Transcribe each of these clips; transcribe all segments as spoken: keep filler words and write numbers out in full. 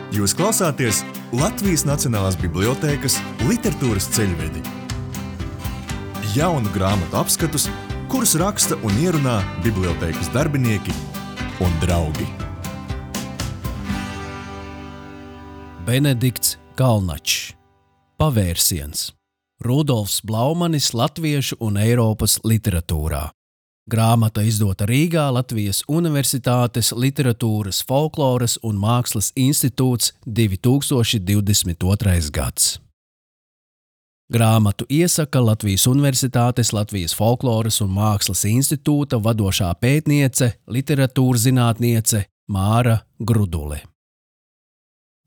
Jūs klausāties Latvijas Nacionālās bibliotēkas literatūras ceļvedi. Jaunu grāmatu apskatus, kurus raksta un ierunā bibliotēkas darbinieki un draugi. Benedikts Kalnačs. Pavērsiens. Rudolfs Blaumanis latviešu un Eiropas literatūrā. Grāmata izdota Rīgā Latvijas Universitātes Literatūras, folkloras un mākslas institūts divi tūkstoši divdesmit otrais gads. Grāmatu iesaka Latvijas Universitātes Latvijas folkloras un mākslas institūta vadošā pētniece, literatūrzinātniece Māra Grudule.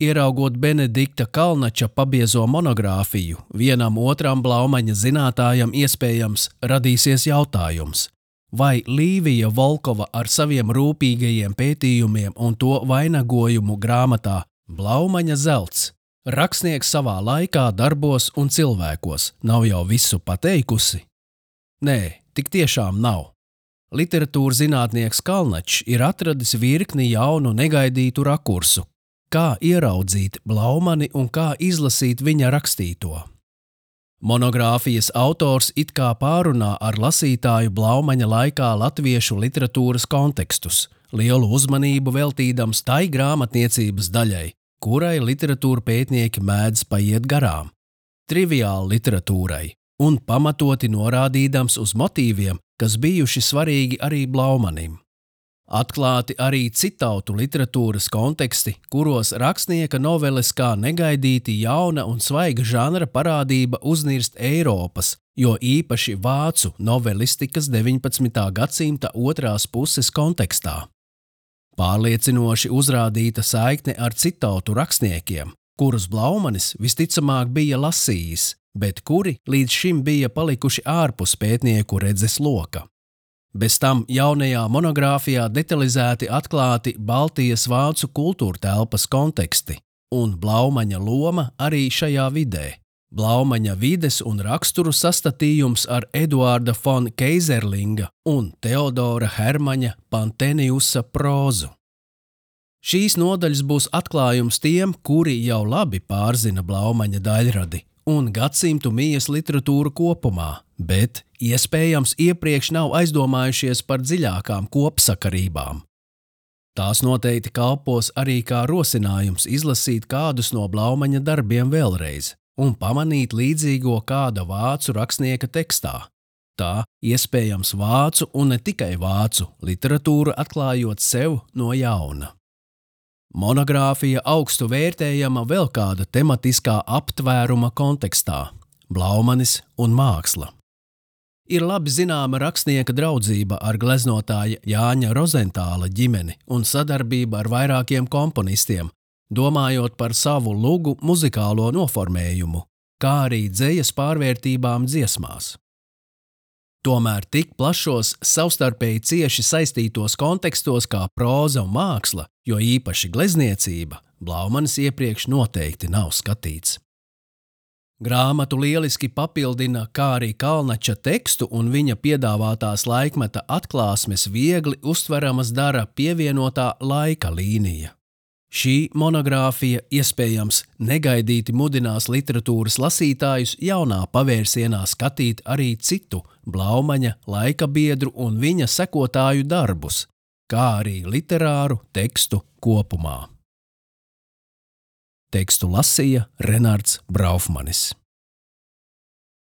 Ieraugot Benedikta Kalnača pabiezo monogrāfiju, vienam otram Blaumaņa zinātājam iespējams radīsies jautājums, vai Līvija Volkova ar saviem rūpīgajiem pētījumiem un to vainagojumu grāmatā Blaumaņa zelts, rakstnieks savā laikā, darbos un cilvēkos, nav jau visu pateikusi? Nē, tik tiešām nav. Literatūrzinātnieks Kalnačs ir atradis virkni jaunu negaidītu rakursu, kā ieraudzīt Blaumani un kā izlasīt viņa rakstīto. Monogrāfijas autors it kā pārunā ar lasītāju Blaumaņa laikā latviešu literatūras kontekstus, lielu uzmanību veltīdams tai grāmatniecības daļai, kurai literatūra pētnieki mēdz paiet garām, triviāli literatūrai, un pamatoti norādīdams uz motīviem, kas bijuši svarīgi arī Blaumanim. Atklāti arī citautu literatūras konteksti, kuros rakstnieka noveles kā negaidīti jauna un svaiga žanra parādība uznirst Eiropas, jo īpaši vācu novelistikas deviņpadsmitā gadsimta otrās puses kontekstā. Pārliecinoši uzrādīta saikne ar citautu rakstniekiem, kurus Blaumanis visticamāk bija lasījis, bet kuri līdz šim bija palikuši ārpus pētnieku redzes loka. Bez tam jaunajā monogrāfijā detalizēti atklāti Baltijas vācu kultūrtelpas konteksti un Blaumaņa loma arī šajā vidē. Blaumaņa vides un raksturu sastatījums ar Eduarda fon Keizerlinga un Teodora Hermaņa Panteniusa prózu. Šīs nodaļas būs atklājums tiem, kuri jau labi pārzina Blaumaņa daļradi un gadsimtu mijas literatūru kopumā, bet iespējams iepriekš nav aizdomājušies par dziļākām kopsakarībām. Tās noteikti kalpos arī kā rosinājums izlasīt kādus no Blaumaņa darbiem vēlreiz un pamanīt līdzīgo kāda vācu rakstnieka tekstā. Tā iespējams vācu un ne tikai vācu literatūru atklājot sev no jauna. Monogrāfija augstu vērtējama vēl kāda tematiskā aptvēruma kontekstā – Blaumanis un māksla. Ir labi zināma rakstnieka draudzība ar gleznotāja Jāņa Rozentāla ģimeni un sadarbība ar vairākiem komponistiem, domājot par savu lugu muzikālo noformējumu, kā arī dzejas pārvērtībām dziesmās. Tomēr tik plašos, savstarpēji cieši saistītos kontekstos kā próza un māksla, jo īpaši glezniecība, Blaumanis iepriekš noteikti nav skatīts. Grāmatu lieliski papildina kā arī Kalnača tekstu un viņa piedāvātās laikmeta atklāsmes viegli uztveramas dara pievienotā laika līnija. Šī monogrāfija iespējams negaidīti mudinās literatūras lasītājus jaunā pavērsienā skatīt arī citu Blaumaņa laikabiedru un viņa sekotāju darbus, kā arī literāru tekstu kopumā. Tekstu lasīja Renards Braufmanis.